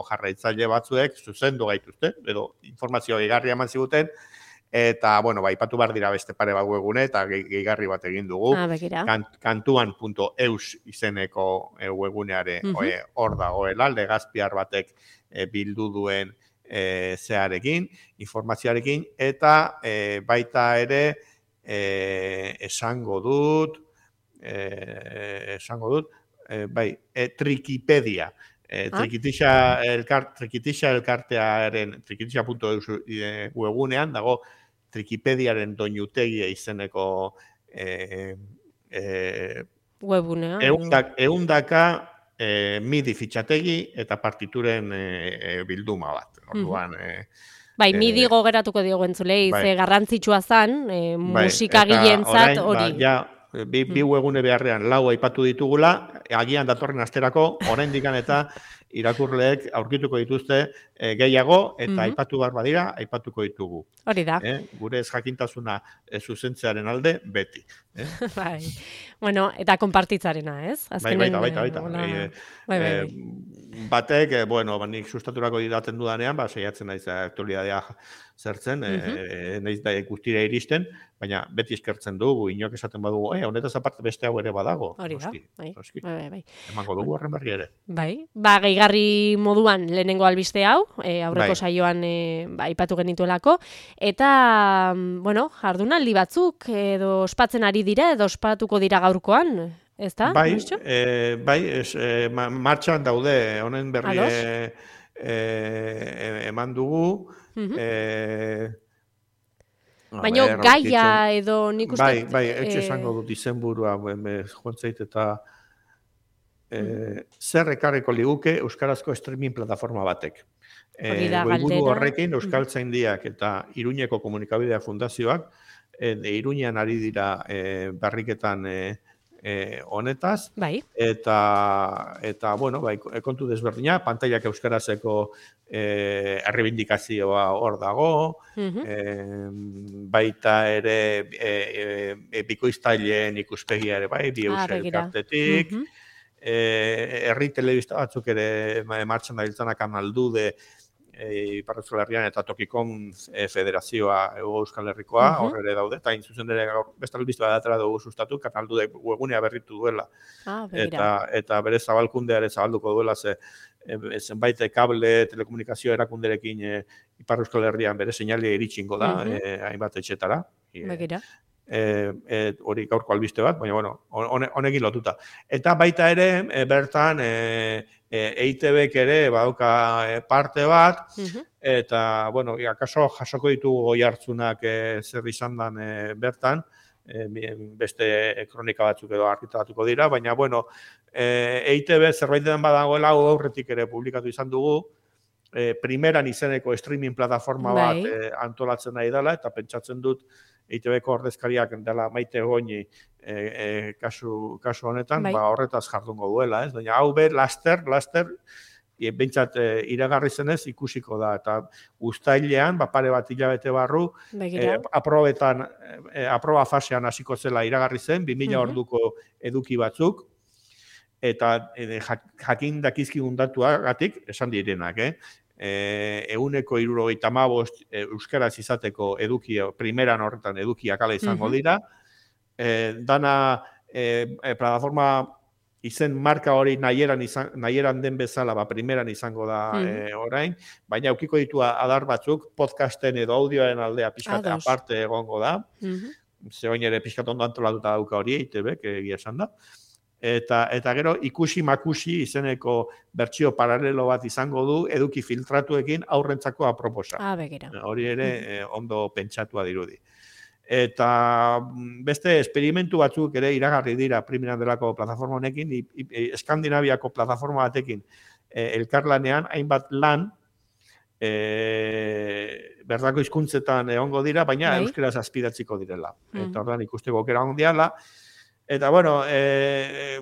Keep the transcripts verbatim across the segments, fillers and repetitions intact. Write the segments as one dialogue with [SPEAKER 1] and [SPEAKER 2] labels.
[SPEAKER 1] jarraitzaile batzuek zuzendu gaituzte, edo informazio gehigarria eman ziguten, eta, bueno, ba, ipatu behar dira beste pare bat webgune, eta gehigarri bat egin dugu.
[SPEAKER 2] Ah, begira.
[SPEAKER 1] kantuan punto eus izeneko e, webguneare
[SPEAKER 2] Mhm.
[SPEAKER 1] hor uh -huh. dagoela, legazpiar batek e, bildu duen e, zearekin, informazioarekin, eta e, baita ere e, esango dut, e, esango dut, e, bai, e, Trikipedia. E,
[SPEAKER 2] Ah.
[SPEAKER 1] Trikitixa, elkar, Trikitixa elkartearen, trikitixa punto eus e, webgunean dago Trikipediaren doinutegia izeneko e, e,
[SPEAKER 2] webgunea.
[SPEAKER 1] eundak, eundaka e, midi fitxategi eta partituren e, bilduma bat. Orduan, e,
[SPEAKER 2] Bai,
[SPEAKER 1] e,
[SPEAKER 2] midi gogeratuko diogu entzulei,
[SPEAKER 1] bai.
[SPEAKER 2] ze garrantzitsua zan, e,
[SPEAKER 1] bai,
[SPEAKER 2] musikagileentzat hori.
[SPEAKER 1] Ba, ja, bi, bi webgune beharrean lau aipatu ditugula, agian datorren asterako, oraindikan eta irakurleek aurkituko dituzte e, gehiago, eta
[SPEAKER 2] Mhm.
[SPEAKER 1] aipatu behar badira, aipatuko ditugu.
[SPEAKER 2] Hori da.
[SPEAKER 1] Eh? Gure ez jakintasuna e, zuzentzearen alde, beti. Eh?
[SPEAKER 2] Bai. Bueno, eta konpartitzarena, ez?
[SPEAKER 1] Bai, baita, baita, baita.
[SPEAKER 2] Hola...
[SPEAKER 1] E,
[SPEAKER 2] bai, bai,
[SPEAKER 1] e, batek, e, bueno, nik sustaturako idaten dudanean, ba, saiatzen naiz aktualidadea zertzen, uh -huh. e, naiz da guztira iristen, baina beti eskertzen dugu, inok esaten badugu, eh, honetaz aparte beste hau ere badago.
[SPEAKER 2] Hori da,
[SPEAKER 1] Oski,
[SPEAKER 2] bai,
[SPEAKER 1] oski.
[SPEAKER 2] bai, bai.
[SPEAKER 1] Emango dugu horren berri ere.
[SPEAKER 2] Bai, ba, gehigarri moduan lehenengo albiste hau, e, aurreko
[SPEAKER 1] bai.
[SPEAKER 2] saioan e, ba, ipatu genituelako, eta, bueno, jardunaldi batzuk edo ospatzen ari dira, edo ospatuko dira gaurkoan, ez da?
[SPEAKER 1] Bai, e, bai es, e, martxan daude, honen berri e, e, eman dugu, uh -huh. e,
[SPEAKER 2] baina gaia edo nik uste...
[SPEAKER 1] Bai, bai, etxe esango dut izenburua, joan zait eta e, uh -huh. zer ekarriko liguke euskarazko streaming plataforma batek. E, goiburu horrekin Euskaltzaindiak eta Iruñeko Komunikabidea Fundazioak, e, Iruñean ari dira e, barriketan e, E, honetaz,
[SPEAKER 2] bai.
[SPEAKER 1] eta, eta, bueno, bai, kontu desberdina, pantailak euskarazeko e, errebindikazioa hor dago, uh -huh. e, baita ere e, e, bikoiztaileen ikuspegia ere, bai, bi
[SPEAKER 2] ah,
[SPEAKER 1] elkartetik, uh -huh. e, herri telebista batzuk ere martxan da hiltzanak Analdude, E, Ipar Euskal Herrian eta Tokikon e, Federazioa Ego Euskal Herrikoa, uh -huh. horre ere daude, eta inzuzen ere beste albiztua datara dugu sustatu, Kanaldude webgunea berritu duela.
[SPEAKER 2] Ah,
[SPEAKER 1] eta, eta bere zabalkundea ere zabalduko duela, ze e, zenbait kable telekomunikazio erakunderekin e, Ipar Euskal Herrian bere seinalia iritsingo da, uh -huh. e, hainbat etxetara.
[SPEAKER 2] Begira.
[SPEAKER 1] E, e, hori gaurko albiste bat, baina bueno, honekin lotuta. Eta baita ere, e, bertan, e, E I T Bek ere badauka parte bat, uh -huh. eta, bueno, akaso jasoko ditugu goi hartzunak e, zer izan dan e, bertan, e, beste kronika batzuk edo argitaratuko dira, baina, bueno, e, E I T B zerbait den badagoela, aurretik ere publikatu izan dugu, e, primeran izeneko streaming plataforma bat e, antolatzen nahi dela, eta pentsatzen dut, E I T Beko ordezkariak dela Maite Goñi e, e, kasu, kasu honetan, bai. Ba, horretaz jardungo duela, ez? Baina hau ber, laster, laster, e, bentsat e, iragarri zenez ikusiko da, eta uztailean, ba, pare bat hilabete barru, e, aprobetan, e, aproba fasean hasiko zela iragarri zen, bi mila uh -huh. orduko eduki batzuk, eta e, jakin dakizkigun datuagatik, esan direnak, eh? E, euneko hirurogeita hamabost e, euskaraz izateko eduki, primeran horretan edukiak ala izango dira. E, dana e, e, plataforma izen marka hori nahieran, izan, nahieran den bezala, ba, primeran izango da e, orain, baina aukiko ditu adar batzuk, podcasten edo audioaren aldea pixkate aparte egongo da. Uh -huh. Zegoin ere pixkat ondo antolatuta dauka hori, E I T Bek egia esan da. Eta, eta gero ikusi makusi izeneko bertsio paralelo bat izango du eduki filtratuekin aurrentzako aproposa.
[SPEAKER 2] Ah, begira.
[SPEAKER 1] Hori ere eh, ondo pentsatua dirudi. Eta beste esperimentu batzuk ere iragarri dira primeran delako plataforma honekin, Eskandinaviako plataforma batekin eh, elkarlanean hainbat lan eh, berdako hizkuntzetan egongo dira, baina bai. Euskaraz azpidatziko direla. Mm. Eta ordan ikusteko aukera ondiala. Eta, bueno... E,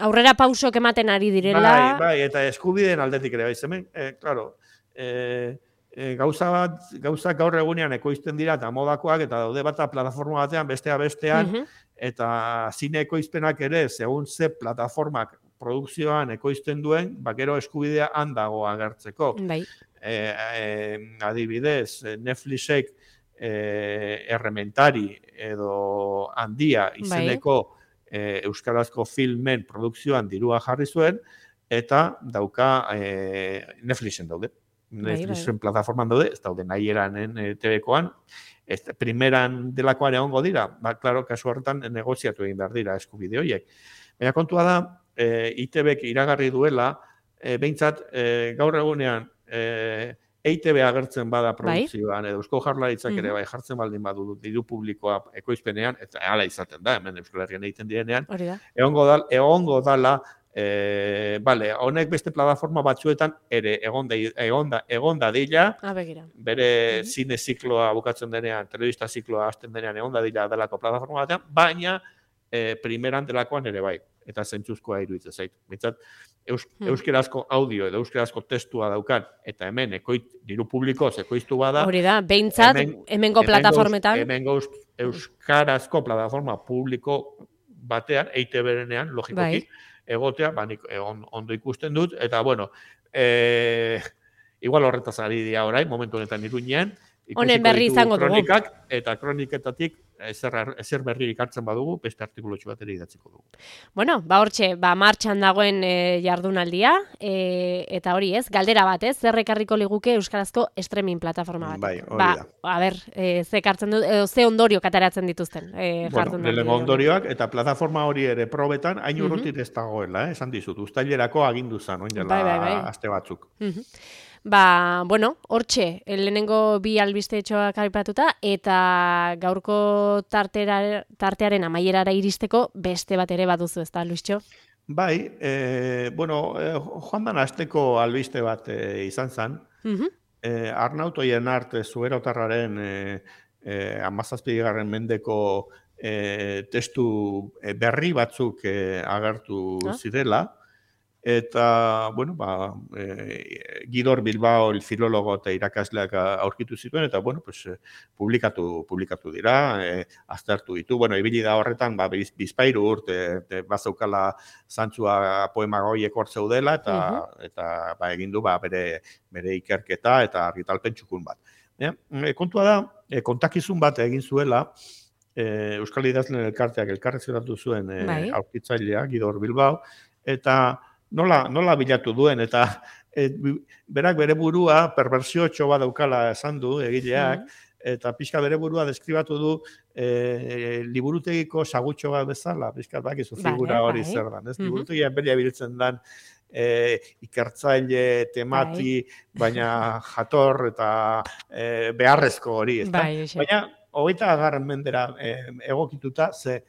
[SPEAKER 2] aurrera pausok ematen ari direla...
[SPEAKER 1] Bai, bai, eta eskubideen aldetik ere, bai, hemen, e, claro, e, e, gauza bat, gauzak gaur egunean ekoizten dira, eta modakoak, eta daude bat plataforma batean, bestea bestean, uh -huh. eta zine ekoizpenak ere, segun ze plataformak produkzioan ekoizten duen, bakero eskubidea handago agertzeko.
[SPEAKER 2] Bai.
[SPEAKER 1] E, e, adibidez, Netflixek e, errementari edo handia izeneko e, euskarazko filmen produkzioan dirua jarri zuen, eta dauka e, Netflixen daude. Netflixen plataforman daude, ez daude nahi eranen e, T V-koan, ez, primeran delakoan egongo dira, ba, klaro, kasu horretan negoziatu egin behar dira eskubide horiek. Baina kontua da, e, I T Bek iragarri duela, e, behintzat, e, gaur egunean, e, E I T B agertzen bada produkzioan, bai? Edo Eusko Jaurlaritzak ere bai jartzen baldin badu diru publikoa ekoizpenean, eta hala izaten da, hemen Euskal Herrian egiten direnean, egongo da, egongo dala, E, bale, honek beste plataforma batzuetan ere egonda, egonda, egonda dila, bere uh-huh. zine zikloa bukatzen denean, telebista zikloa hasten denean egonda dila delako plataforma batean, baina e, primeran delakoan ere bai, eta zentzuzkoa iruditzen zait. Bitzat, eus, hmm. euskerazko audio edo euskerazko testua daukan, eta hemen ekoit, diru publikoz ekoiztu bada.
[SPEAKER 2] Hori da, behintzat, hemen, hemengo plataformetan.
[SPEAKER 1] Hemengo euskarazko plataforma publiko batean, E I T B-renean, logikoki, bai. Egotea, ba, nik on, ondo ikusten dut, eta, bueno, e, igual horretaz ari dira orain, momentu honetan Iruñean,
[SPEAKER 2] honen berri izango dugu.
[SPEAKER 1] Eta kroniketatik ezer, ezer berri ikartzen badugu, beste artikulotxu bat ere idatziko dugu.
[SPEAKER 2] Bueno, ba hortxe, ba martxan dagoen e, jardunaldia, e, eta hori ez, galdera bat ez, zer ekarriko liguke euskarazko streaming plataforma bat.
[SPEAKER 1] Bai, hori da.
[SPEAKER 2] Ba, a ber, e, ze ekartzen du, edo ze ondorio kataratzen dituzten. E,
[SPEAKER 1] bueno, lehenengo ondorioak, eta plataforma hori ere probetan, hain urrutit uh-huh. ez dagoela, eh, esan dizut, uztailerako agindu zan, oin dela bai, bai, bai. aste batzuk.
[SPEAKER 2] Uh-huh. Ba, bueno, hortxe, lehenengo bi albiste etxoak aipatuta, eta gaurko tartera, tartearen amaierara iristeko beste bat ere baduzu, ez da, Luistxo?
[SPEAKER 1] Bai, e, bueno, e, joan dan asteko albiste bat e, izan zen, uh-huh. e, Arnautoien arte zuberotarraren e, e, amazazpigarren mendeko e, testu berri batzuk e, agertu ah. zirela, eta, bueno, ba, e, Gidor Bilbao, el filologo eta irakasleak aurkitu zituen, eta, bueno, pues, publikatu, publikatu dira, e, aztertu ditu. Bueno, ibili da horretan, ba, biz, bizpairu urte, e, bazaukala zantzua poema goiek hor zeudela, eta, uh-huh. eta ba, egin du, ba, bere, bere ikerketa eta argitalpen txukun bat. E, kontua da, e, kontakizun bat egin zuela, e, Euskal Idazleen elkarteak elkarrezeratu zuen e, bai. aurkitzailea, Gidor Bilbao, eta Nola, nola bilatu duen, eta et, berak bere burua perbersiotxo bat daukala esan du egileak, mm. eta pixka bere burua deskribatu du e, liburutegiko sagutxo bat bezala, pixka bakizu figura hori bai. Zer dan. Ez? Mm-hmm. Liburutegian belia biltzen dan e, ikertzaile, temati, bai. baina jator eta e, beharrezko hori. Ez bai, baina, hogeita agarren mendera e, egokituta, ze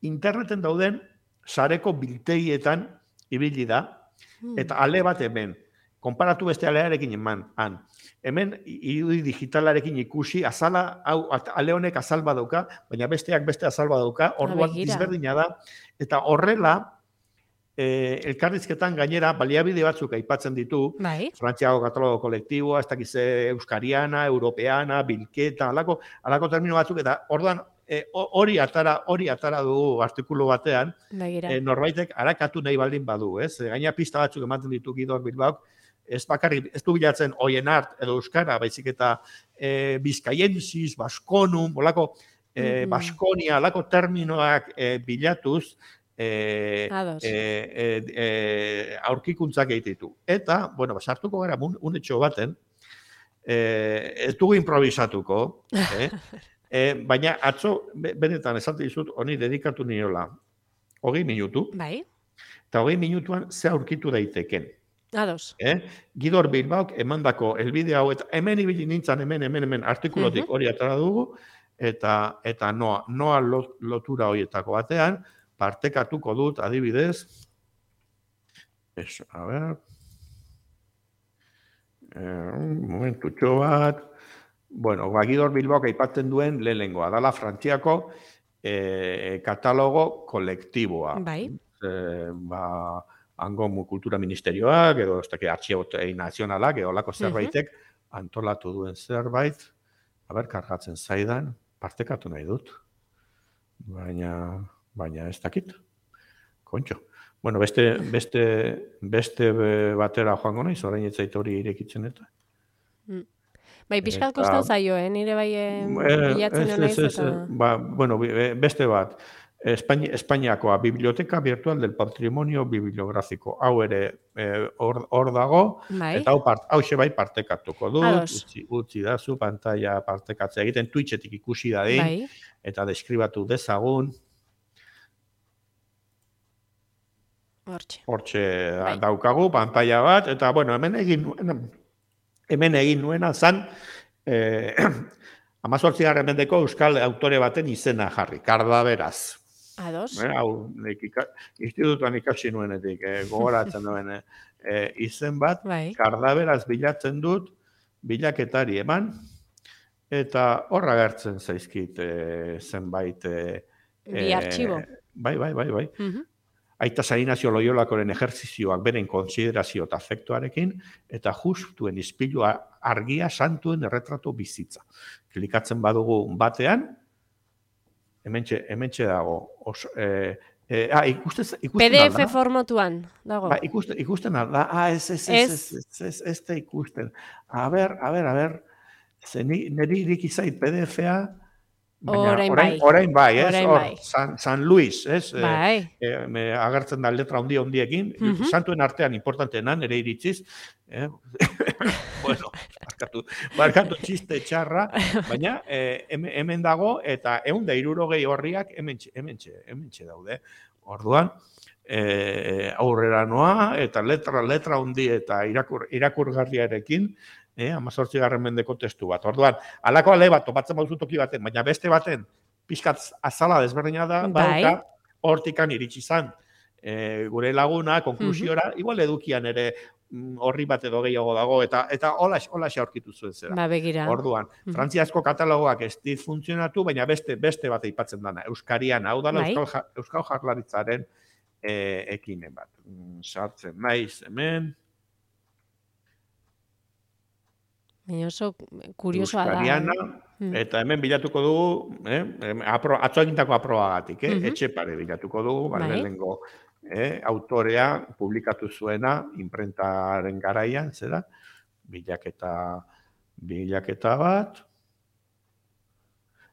[SPEAKER 1] interneten dauden sareko biltegietan ibili da, eta ale bat hemen, konparatu beste alearekin eman, han. Hemen, irudi digitalarekin ikusi, azala, hau, ale honek azal badauka, baina besteak beste azal badauka, orduan dizberdina da, eta horrela, eh, elkarrizketan gainera, baliabide batzuk aipatzen ditu, bai. Frantziako katalogo kolektiboa, ez dakize euskariana, europeana, bilketa, alako, alako termino batzuk, eta orduan, hori e, atara, hori atara dugu artikulu batean, e, norbaitek arakatu nahi baldin badu, ez? Gaina pista batzuk ematen ditu Gidor Bilbaok, ez bakarrik, ez du bilatzen oien art edo euskara, baizik eta e, bizkaiensis, baskonum, bolako, e, mm-hmm. baskonia, alako terminoak e, bilatuz, e, e, e, e, aurkikuntzak egititu. Eta, bueno, sartuko gara unetxo baten, e, ez dugu improvisatuko, eh? E, baina atzo, benetan esate dizut, honi dedikatu niola, hogei minutu, bai. Eta hogei minutuan ze aurkitu daiteken.
[SPEAKER 2] Ados.
[SPEAKER 1] Eh? Gidor Bilbaok emandako elbide hau, eta hemen ibili nintzen, hemen, hemen, hemen, artikulotik uh-huh. hori atara dugu, eta eta noa, noa lotura horietako batean, partekatuko dut, adibidez, ez, a ber, eh, momentutxo bat, bueno, Gidor Bilbaok aipatzen duen lehenengoa, dala Frantziako eh, katalogo kolektiboa. Bai. Eh, ba, hango kultura ministerioak, edo ez dakit artxiebotei nazionalak, edo lako zerbaitek, uh-huh. antolatu duen zerbait, haber, kargatzen zaidan, partekatu nahi dut. Baina, baina ez dakit. Kontxo. Bueno, beste, beste, beste batera joango naiz, orain ez zait hori irekitzen eta.
[SPEAKER 2] Mm. Bai, pixkat
[SPEAKER 1] Eta,
[SPEAKER 2] kostau zaio, eh? Nire bai bilatzen
[SPEAKER 1] ez,
[SPEAKER 2] naiz
[SPEAKER 1] ez, ez,
[SPEAKER 2] eta...
[SPEAKER 1] ba, bueno, beste bat, Espaini, Espainiakoa, Biblioteca Virtual del Patrimonio Bibliográfico. Hau ere hor eh, dago,
[SPEAKER 2] bai.
[SPEAKER 1] eta hau, part, hau bai partekatuko dut,
[SPEAKER 2] Ados.
[SPEAKER 1] utzi, utzi dazu, pantalla partekatzea egiten, Twitchetik ikusi dadin,
[SPEAKER 2] Bai.
[SPEAKER 1] eta deskribatu dezagun.
[SPEAKER 2] Hortxe.
[SPEAKER 1] Hortxe
[SPEAKER 2] bai.
[SPEAKER 1] daukagu, pantalla bat, eta bueno, hemen egin nuen, hemen egin nuena zan, eh, amazortzigarren mendeko euskal autore baten izena jarri, Kardaberaz.
[SPEAKER 2] Ados.
[SPEAKER 1] Eh, hau, institutuan ikasi nuenetik, eh, gogoratzen duen eh, izen bat,
[SPEAKER 2] bai.
[SPEAKER 1] Kardaberaz bilatzen dut, bilaketari eman, eta horra gertzen zaizkit eh, zenbait... Eh,
[SPEAKER 2] Bi artxibo.
[SPEAKER 1] Bai, bai, bai, bai.
[SPEAKER 2] Uh -huh.
[SPEAKER 1] Aita San Ignacio Loiolakoren ejerzizioak beren konsiderazio eta afektuarekin, eta justuen izpilua argia santuen erretrato bizitza. Klikatzen badugu batean, hementxe, hementxe dago. Os, eh, eh, ah, ikusten, ikusten
[SPEAKER 2] P D F formatuan dago.
[SPEAKER 1] Ba, ikusten, ikusten alda. Ah, ez, ez, ez, ez, ez, ez, ez, ez ikusten. A ber, a ber, a ber, niri iriki zait P D F-a,
[SPEAKER 2] Orain bai.
[SPEAKER 1] Orain bai, ez?
[SPEAKER 2] Orain
[SPEAKER 1] Hor,
[SPEAKER 2] bai.
[SPEAKER 1] San, San Luis, ez?
[SPEAKER 2] Bai.
[SPEAKER 1] E, e, agertzen da letra handi handiekin, uh -huh. Santuen artean importanteena, nire iritziz. Eh? Bueno, barkatu, barkatu txiste txarra, baina eh, hemen dago, eta ehun eta hirurogei horriak hementxe, hementxe, hementxe daude. Orduan, eh, aurrera noa, eta letra, letra handi eta irakur, irakurgarriarekin, Eh, amazortzigarren mendeko testu bat. Orduan, alako ale bat, topatzen bauzu toki baten, baina beste baten, pixkat azala desberdina da,
[SPEAKER 2] bai.
[SPEAKER 1] bauka, hortikan iritsi zan. E, gure laguna, konklusiora, uh -huh. igual edukian ere horri bat edo gehiago dago, eta eta hola hola aurkitu zuen zera.
[SPEAKER 2] Ba, begira.
[SPEAKER 1] Orduan, uh -huh. frantziazko katalogoak ez dit funtzionatu, baina beste beste bat aipatzen dana, euskarian, hau dala bai. Euskal, Euskal Jaurlaritzaren e, ekimen bat. Sartzen naiz hemen,
[SPEAKER 2] oso kuriosoa da.
[SPEAKER 1] Eta hemen bilatuko dugu, eh, atzo egintako aprobagatik, eh, uh -huh. Etxepare bilatuko dugu, bai. Lehenengo eh, autorea publikatu zuena, imprentaren garaian, zera, bilaketa, bilaketa bat,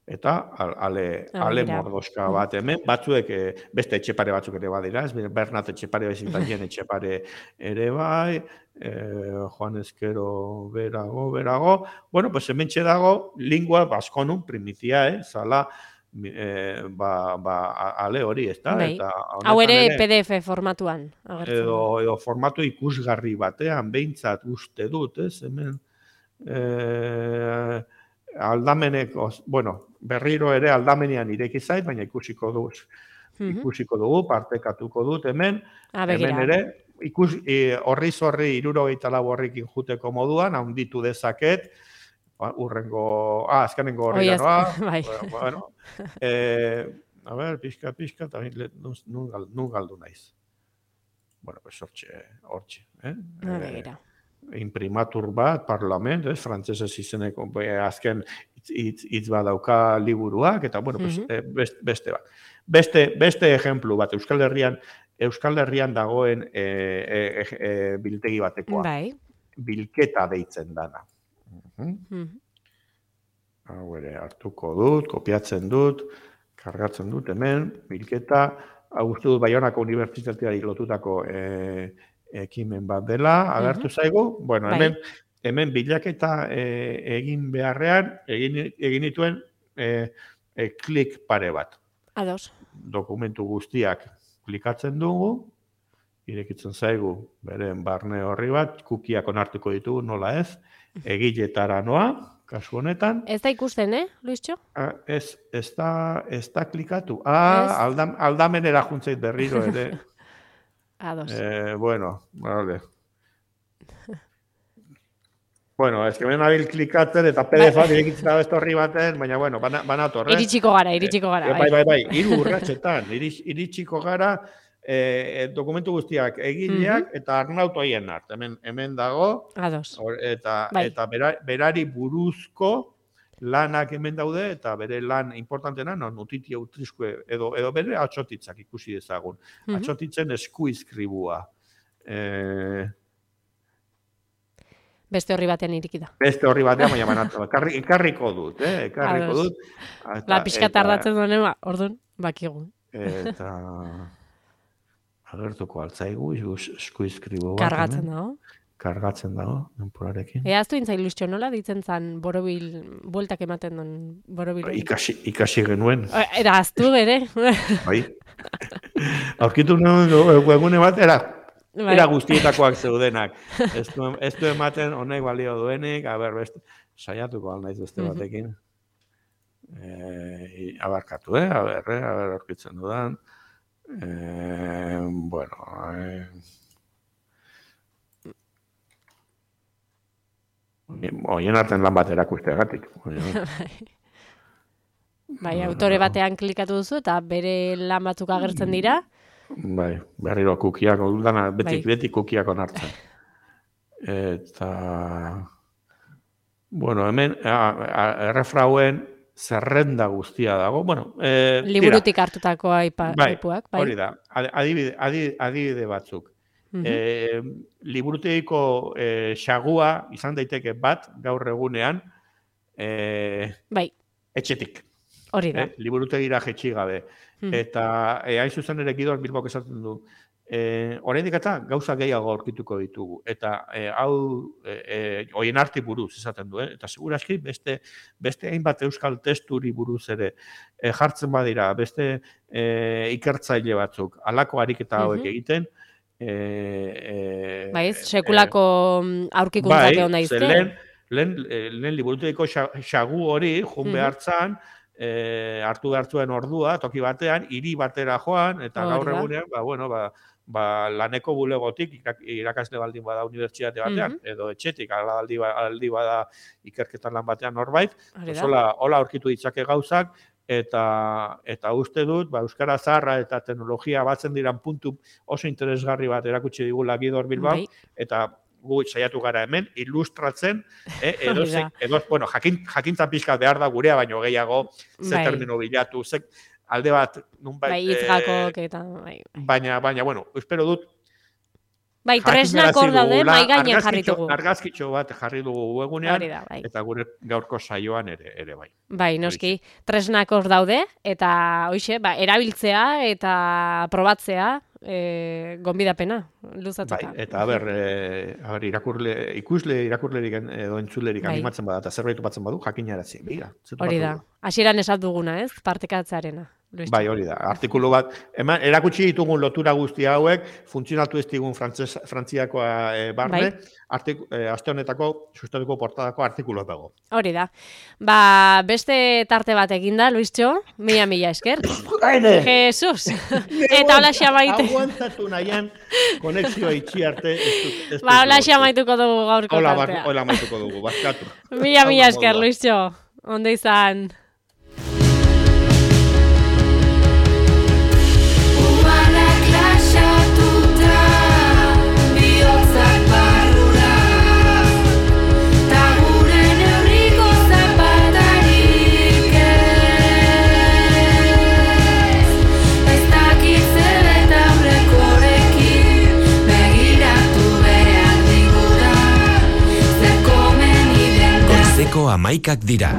[SPEAKER 1] eta ale, ale mordoska bat hemen, batzuek, eh, beste Etxepare batzuk ere badira, ez, Bernat Etxepare bezitanien Etxepare ere bai, Eh, Juan Ezquero berago, berago. Bueno, pues hemen dago lingua baskonun primitia, eh? Zala, eh, ba, ba, ale hori, ez da?
[SPEAKER 2] Bai. Hau ere P D F formatuan.
[SPEAKER 1] Edo, edo formatu ikusgarri batean, behintzat uste dut, ez? Hemen, eh, aldameneko, bueno, berriro ere aldamenean ireki zait, baina ikusiko dugu, ikusiko dugu, partekatuko dut hemen, hemen ere, ikus horri zorri hirurogeita lau horrekin juteko moduan, handitu dezaket, urrengo, ah, azkenengo horri dagoa, bueno, eh, a ver, pixka, pixka, eta nun galdu naiz. Bueno, pues hortxe, hortxe, eh?
[SPEAKER 2] Begira.
[SPEAKER 1] Imprimatur bat, parlament, ez, frantzesez izeneko, azken hitz badauka liburuak, eta, bueno, pues, beste bat. Beste, beste ejemplu bat, Euskal Herrian, Euskal Herrian dagoen e, e, e, biltegi batekoa.
[SPEAKER 2] Bai.
[SPEAKER 1] Bilketa deitzen dana. Uh -huh. uh -huh. Hau ere, hartuko dut, kopiatzen dut, kargatzen dut hemen, bilketa, hau uste dut Baionako Unibertsitateari lotutako e, ekimen bat dela, agertu uh -huh. zaigu, bueno, hemen, bai. hemen bilaketa e, egin beharrean, egin, egin dituen e, e, klik pare bat.
[SPEAKER 2] Ados.
[SPEAKER 1] Dokumentu guztiak klikatzen dugu, irekitzen zaigu, beren barne horri bat, kukiak onartuko ditugu, nola ez, egiletara noa, kasu honetan.
[SPEAKER 2] Ez da ikusten, eh, Luistxo?
[SPEAKER 1] Ez, ez da, ez da klikatu. Ah, aldam, aldamenera juntzeit berriro ere.
[SPEAKER 2] Ados.
[SPEAKER 1] Eh, bueno, vale. Bueno, ez que ben nabil klikatzen eta P D F-a irekitzen da beste horri baten, baina, bueno, bana torre.
[SPEAKER 2] Iritsiko gara, iritsiko gara.
[SPEAKER 1] Bai, bai, bai, hiru urratsetan, iritsiko gara, eh, dokumentu guztiak egileak eta arnautoien art. Hemen, hemen dago,
[SPEAKER 2] Ados.
[SPEAKER 1] eta, bai. eta bera, berari buruzko lanak hemen daude, eta bere lan importantena, no, nutitia utriskue, edo, edo bere atxotitzak ikusi dezagun. Mm-hmm. Atxotitzen eskuizkribua. Eh,
[SPEAKER 2] Beste horri batean iriki da.
[SPEAKER 1] Beste horri batean, baina banatu. Ekarri, ekarriko dut, eh? Ekarriko dut.
[SPEAKER 2] Eta, la pixka tardatzen duen, ba, orduan, bakigu.
[SPEAKER 1] Eta... agertuko altzaigu, eskuizkribo bat.
[SPEAKER 2] Kargatzen dago.
[SPEAKER 1] Kargatzen dago, denporarekin.
[SPEAKER 2] Ea aztu intzai lustxo nola, ditzen zan borobil, bueltak ematen duen borobil.
[SPEAKER 1] Ikasi, ikasi genuen.
[SPEAKER 2] Era aztu bere.
[SPEAKER 1] Bai. Aurkitu nuen, egune bat, era, era guztietakoak zeudenak. Ez du, ez du ematen honek balio duenik, a ber, beste, saiatuko alnaiz beste batekin. E, abarkatu, eh? A ber, eh? A ber, aurkitzen dudan. Eh, bueno, eh, oien arten lan bat erakusteagatik.
[SPEAKER 2] Bai, autore batean klikatu duzu eta bere lan batzuk agertzen dira.
[SPEAKER 1] Bai, berriro kukiak, dana, beti, bai. Beti kukiak onartzen. Eta, bueno, hemen, errefrauen zerrenda guztia dago. Bueno, eh,
[SPEAKER 2] liburutik hartutako aipuak.
[SPEAKER 1] Bai,
[SPEAKER 2] bai,
[SPEAKER 1] hori da. Adibide, adibide, adibide batzuk. Uh-huh. Eh, liburutegiko eh, xagua izan daiteke bat gaur egunean eh,
[SPEAKER 2] bai.
[SPEAKER 1] Etxetik.
[SPEAKER 2] Hori da.
[SPEAKER 1] Eh, liburutegira jetxi gabe. Uh-huh. Eta eh, hain zuzen ere Gidor Bilbok esaten du. Eh, oraindik eta gauza gehiago aurkituko ditugu. Eta eh, hau eh, eh, oien arti buruz esaten du. Eh? Eta seguraski beste, beste hainbat euskal testuri buruz ere eh, jartzen badira, beste eh, ikertzaile batzuk, halako ariketa hauek uh-huh. egiten, Eh, eh,
[SPEAKER 2] bai, sekulako eh, aurkikuntzak egon daizte.
[SPEAKER 1] Bai, lehen, lehen, lehen liburutegiko xagu hori, jun behartzan, eh, hartu behartzuen ordua, toki batean, hiri batera joan, eta gaur egunean, ba, bueno, ba, ba, laneko bulegotik, irakasle baldin bada unibertsitate batean, mm-hmm. edo etxetik, aldi, aldi bada ikerketan lan batean norbait, hola aurkitu ditzake gauzak, eta eta uste dut, ba, euskara zaharra eta teknologia batzen diran puntu oso interesgarri bat erakutsi digula Gidor Bilbao, bai. Eta gu saiatu gara hemen, ilustratzen, eh, edo, ze, edo bueno, jakin, jakintza pixka behar da gurea, baino gehiago, ze bai. Termino bilatu, ze alde bat, nunbait,
[SPEAKER 2] bai, itzgakok eta, bai,
[SPEAKER 1] bai. Baina, baina, bueno, espero dut,
[SPEAKER 2] bai, tresnak hor daude, mai gainen jarri dugu.
[SPEAKER 1] Argazkitxo bat jarri dugu egunean,
[SPEAKER 2] da, bai.
[SPEAKER 1] Eta gure gaurko saioan ere, ere bai.
[SPEAKER 2] Bai, noski, tresnak hor daude, eta hoixe, ba, erabiltzea eta probatzea, e, gonbidapena, luzatuta.
[SPEAKER 1] Bai, eta haber, e, haber irakurle, ikusle irakurlerik edo entzulerik bai. Animatzen bada, eta zerbait batzen badu, jakinarazi. Begira,
[SPEAKER 2] hori da, hasieran esat duguna, ez? Partekatzearena.
[SPEAKER 1] Bai, hori da. Artikulu bat, eman, erakutsi ditugun lotura guzti hauek, funtzionatu ez digun frantziakoa e, barne, bai. Artik, e, aste honetako, sustatuko portadako artikulu dago.
[SPEAKER 2] Hori da. Ba, beste tarte bat eginda, Luistxo, mila mila esker.
[SPEAKER 1] Aine!
[SPEAKER 2] Jesus! Eta hola xamaite.
[SPEAKER 1] Aguantatu nahian, konexioa itxi arte. Ez dut, ez
[SPEAKER 2] ba, hola xamaituko dugu gaurko
[SPEAKER 1] hola,
[SPEAKER 2] tartea.
[SPEAKER 1] Hola maituko dugu, bazkatu.
[SPEAKER 2] Mila mila esker, Luistxo. Ondo izan.
[SPEAKER 3] Amaikak dira.